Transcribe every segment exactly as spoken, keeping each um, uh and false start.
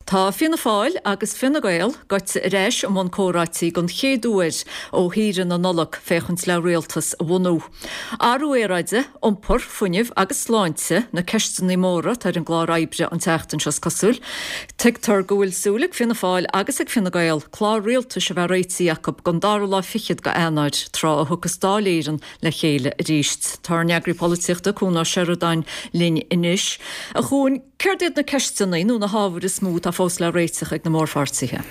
Tá Fianna Fáil agus Fine Gael gaibhte ar ais i mbun comhráití den chéad uair ó shaoire na Nollag féachaint le rialtas a bhunú. Athrú aeráide, iompar, fuinneamh agus sláinte na ceisteanna móra atá ar an gclár oibre an tseachtain seo is cosúil. Tuigtear go bhfuil súil ag Fianna Fáil agus ag Fine Gael clár rialtais a bheith réitithe acu don dara lá fichead d'Eanáir tráth a thiocfas Dáil Éireann le chéile arís. Tá ár n-eagraí polaitíochta Cuan Ó Seireadáin linn anois. A Chuain, céard iad na ceisteanna nó na hábhair is mó atá fós le réiteach ag na mórpháirtithe?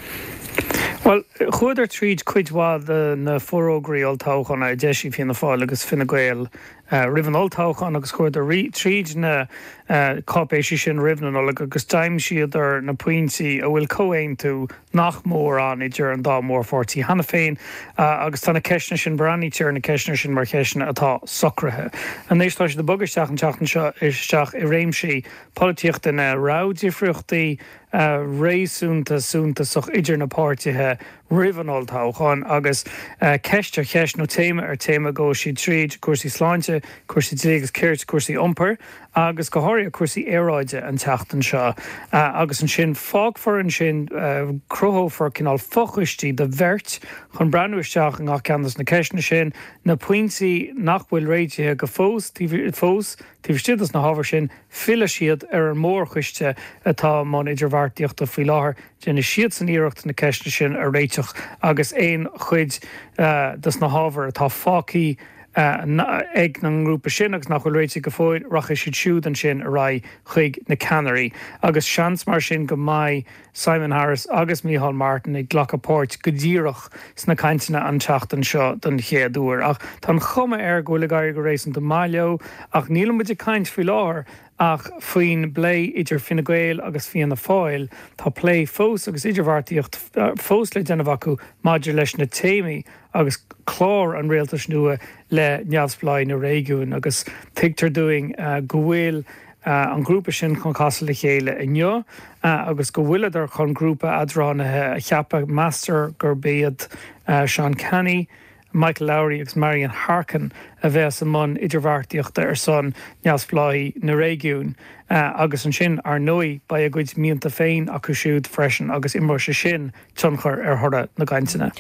Well, chuadar tríd cuid mhaith de na forógraí olltoghcháin a d'eisigh Fianna Fáil agus Fine Gael uh, roimh an olltoghchán agus chuadar tríd na uh, cáipéisí sin roimh na Nollag agus d'aimsíodar na pointí a bhfuil comhaontú nach mór ann idir an dá mhórpháirtí cheana féin uh, agus tá na ceisteanna sin breathnaítear na ceisteanna sin mar cheisteanna atá socraithe. Anois tá siad ag bogadh isteach an tseachtain seo isteach i réimsí polaitíochta ina raibh difríochtaí uh, réasúnta suntasach idir na páirtithe roimh an olltoghchán agus uh, ceist ar cheist nó téama ar téama go siad tríd cúrsaí sláinte, cúrsaí dlí agus cirt cúrsaí iompair agus go háirithe cúrsaí aeráide an tseachtain seo uh, agus ansin fágfar ansin uh, cruthófar cineál fochoistí de bheirt chun breathnú isteach i ngach ceann de na ceisteanna sin na pointí nach bhfuil réitithe go fós fós taobh istigh de na hábhair sin fillfidh siad ar an mórchoiste atá i mbun idirbheartaíochta faoi láthair déanfaidh siadsan iarracht na ceisteanna sin a réiteach agus aon chuid uh, de na hábhair atá fágtha uh, ag na ngrúpa sin agus nach bhfuil réitithe go fóill rachaidh siad siúd ansin ar aghaidh chuig na ceannairí. agus seans mar sin go mbeidh Simon Harris agus Micheál Martin ag glacadh páirt go díreach sna cainteanna an tseachtain seo den chéad uair. Ach tá an chuma air go bhfuil ag éirí go réasúnta maith leo ach níl muid ag caint faoi láthair ach faoin bplé idir Fine Gael agus Fianna Fáil tá plé fós agus idirbheartaíocht fós le déanamh acu maidir leis na téamaí agus clár an rialtais nua le neamhspleáchas na réigiún agus tuigtear dúinn uh, go bhfuil uh, an grúpa sin chun casadh le chéile inniu uh, agus go bhfuileadar chun grúpa eadránaithe a cheapadh meastar gurb iad uh, Sean Canney, Michael Lowry agus Marian Harkin a bheas i mbun idirbheartaíochta ar son neamhspleáchas na réigiún uh, agus ansin ar ndóigh beidh a gcuid mianta féin acu siúd freisin agus imreoidh sé sin tionchar ar thoradh na gcainteanna.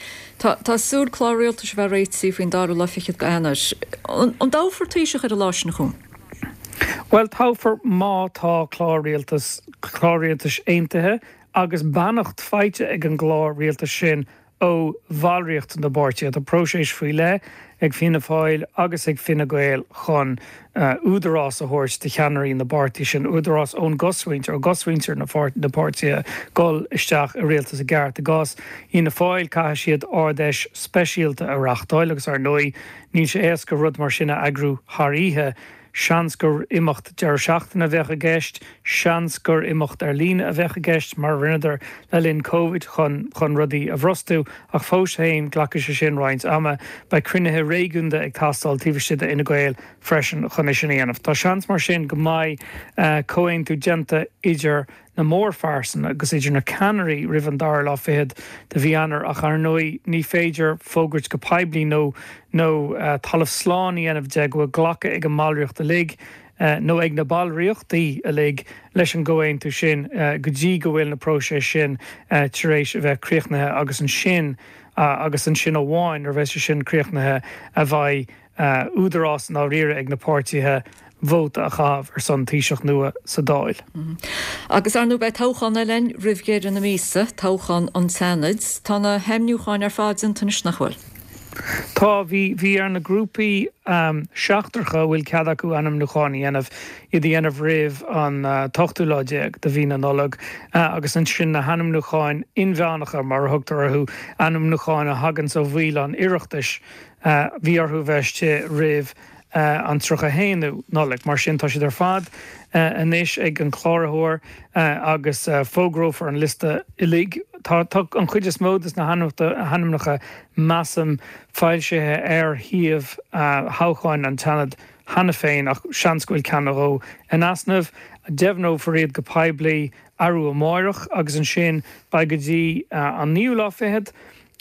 Tá tá súil clár rialtais bheith réitithe faoin dara lá fichead d'Eanáir. An dtoghfar Taoiseach ar an lá sin chun? Well toghfar má tá clár rialtas clár rialtais aontaithe agus beannacht faighte ag an gclár rialtais sin ó bhallraíocht na bpáirtithe tá próiseas faoi leith ag Fianna Fáil agus ag Fine Gael chun uh, údarás a thabhairt do cheannairí na bpáirtí sin údarás ón gcosmhuintir ó gcosmhuintir na na páirtithe dul isteach i rialtas i gceart i gcás Fhianna Fáil caithfidh siad Ard-Fheis speisialta a reáchtáil agus ar ndóigh níl sé éasca rud mar sin a eagrú thar oíche seans gur imeacht deireadh seachtaine a bheadh i gceist, seans gur imeacht ar líne a bheadh i gceist mar rinneadar le linn COVID chun chun rudaí a bhrostú ach fós féin glacfaidh sé sin roinnt ama beidh cruinnithe réigiúnda ag teastáil taobh istigh d'Fhine Gael freisin chun é sin a dhéanamh. Tá seans mar sin go mbeidh uh, comhaontú déanta idir na mórphearsana agus idir na ceannairí roimh an dara lá fichead de mhí Eanáir ach ar ndóigh ní féidir fógairt go poiblí nó nó uh, talamh slán a dhéanamh de go bhfuil glacadh ag an mballraíocht uilig uh, nó ag na ballraíochtaí uilig leis an gcomhaontú sin uh, go dtí go bhfuil na próiseas sin uh, tar éis a bheith críochnaithe agus ansin uh, agus ansin amháin ar bheith sin críochnaithe a bheidh uh, údarás ná riire ag na páirtithe vóta a chaitheamh ar son Taoiseach nua sa Dáil. Mm -hmm. Agus ar ndóigh beidh toghchán eile ann roimh dheireadh na míosa, toghchán an tSeanaid, Tá na hainmniúcháin ar fad déanta anois nach bhfuil. Tá bhí bhí ar na grúpaí um, seachtracha bhfuil cead acu ainmniúcháin a dhéanamh iad a dhéanamh roimh an uh, t-ochtú lá déag de mhí na Nollag uh, agus ansin na hainmniúcháin inmheánacha mar a thugtar orthu ainmniúcháin a thagann ó bhaill an Oireachtais uh, bhí orthu bheith roimh uh, an tríocha haonú Nollaig mar sin tá siad ar fad uh, anois ag an chláraitheoir uh, agus uh, fógrófar an liosta uilig. Tá, tá an chuid is mó de na hainmneacha measaim foilsithe ar shuíomh uh, thoghcháin an tSeanaid cheana féin ach seans go bhfuil ceann nó dhó in easnamh, deimhneofar iad go poiblí arú amárach agus ansin beidh go dtí uh, an naoú lá fichead,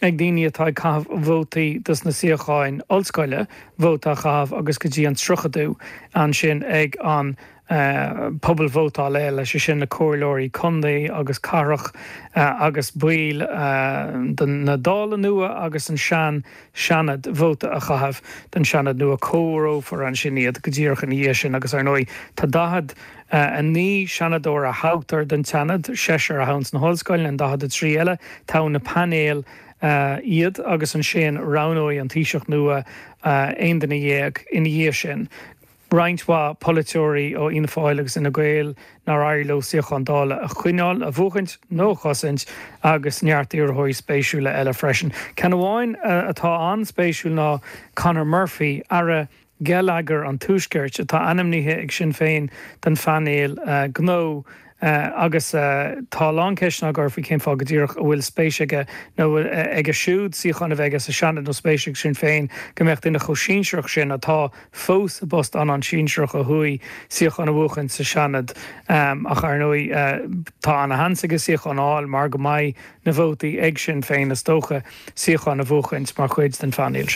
ag daoine atá ag caitheamh vótaí dos na suíocháin ollscoile vóta a chaitheamh agus go dtí an tríochadú ansin ag an Pobalvótáil eile, sé sin na comhairleoirí contae agus cathrach agus baill na Dála nua agus an sean Seanad vóta a chaitheamh don Seanad nua. Comhaireofar ansin iad go díreach ina dhiaidh sin agus ar ndóigh tá daichead a naoi Seanadóir a thoghtar don tSeanad, seisear a thoghann sna hollscoileanna, an daichead a trí eile, toghann na painéil iad agus ansin roghnóidh an Taoiseach nua aon duine dhéag ina dhiaidh sin. Roinnt mhaith polaiteoirí ó Fhianna Fáil agus Fhine Gael nár éirigh leo suíochán Dála a choinneáil, a bhuachaint nó a chosaint agus neart iarrthóirí spéisiúla eile freisin. Ceann amháin atá an-spéisiúil ná Conor Murphy, Aire Geilleagair an Tuaiscirt, atá ainmnithe ag Sinn Féin don phainéal gnó. Agus tá a lán ceisteanna á gcur faoi cén fáth go díreach a bhfuil spéis aige nó aige siúd suíochán a bheith aige sa Seanad nó spéis ag Sinn Féin go mbeadh duine chomh sinsearach sin, atá fós i bpost an-an-sinsearach ó thuaidh, suíochán a bhuachan sa Seanad. Ach ar ndóigh tá ana-sheans aige suíochán a fháil mar go mbeidh na vótaí ag Sinn Féin is dócha suíochán a bhuachaint mar chuid den phainéal sin.